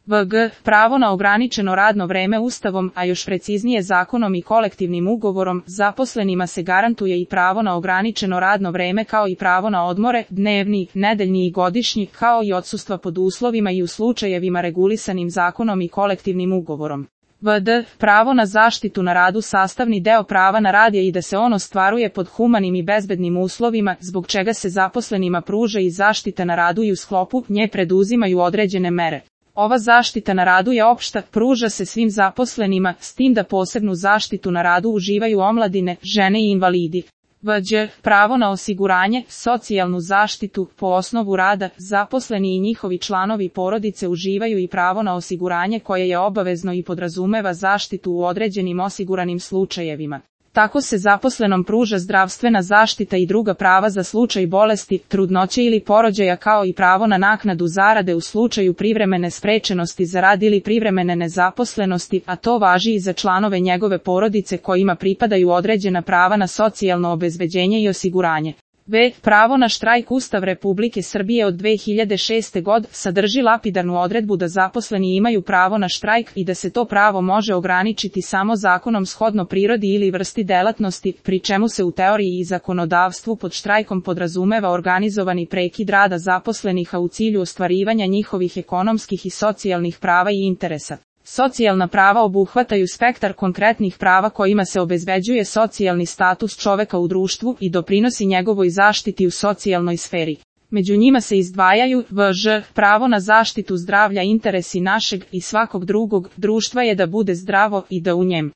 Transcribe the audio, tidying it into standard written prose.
VG. Pravo na ograničeno radno vreme Ustavom, a još preciznije zakonom i kolektivnim ugovorom, zaposlenima se garantuje i pravo na ograničeno radno vreme kao i pravo na odmore, dnevni, nedeljni i godišnji, kao i odsustva pod uslovima i u slučajevima regulisanim zakonom i kolektivnim ugovorom. VD. Pravo na zaštitu na radu sastavni deo prava na rad je i da se on ostvaruje pod humanim i bezbednim uslovima, zbog čega se zaposlenima pruža i zaštita na radu i u sklopu nje preduzimaju određene mere. Ova zaštita na radu je opšta, pruža se svim zaposlenima, s tim da posebnu zaštitu na radu uživaju omladine, žene i invalidi. Vđ. Pravo na osiguranje, socijalnu zaštitu, po osnovu rada, zaposleni i njihovi članovi porodice uživaju i pravo na osiguranje koje je obavezno i podrazumeva zaštitu u određenim osiguranim slučajevima. Tako se zaposlenom pruža zdravstvena zaštita i druga prava za slučaj bolesti, trudnoće ili porođaja kao i pravo na naknadu zarade u slučaju privremene sprečenosti za rad ili privremene nezaposlenosti, a to važi i za članove njegove porodice kojima pripadaju određena prava na socijalno obezbeđenje i osiguranje. V. Pravo na štrajk. Ustav Republike Srbije od 2006. godine sadrži lapidarnu odredbu da zaposleni imaju pravo na štrajk i da se to pravo može ograničiti samo zakonom shodno prirodi ili vrsti delatnosti, pri čemu se u teoriji i zakonodavstvu pod štrajkom podrazumeva organizovani prekid rada zaposlenih a u cilju ostvarivanja njihovih ekonomskih i socijalnih prava i interesa. Socijalna prava obuhvataju spektar konkretnih prava kojima se obezbeđuje socijalni status čoveka u društvu i doprinosi njegovoj zaštiti u socijalnoj sferi. Među njima se izdvajaju VŽ. Pravo na zaštitu zdravlja. Interesi našeg i svakog drugog društva je da bude zdravo i da u njem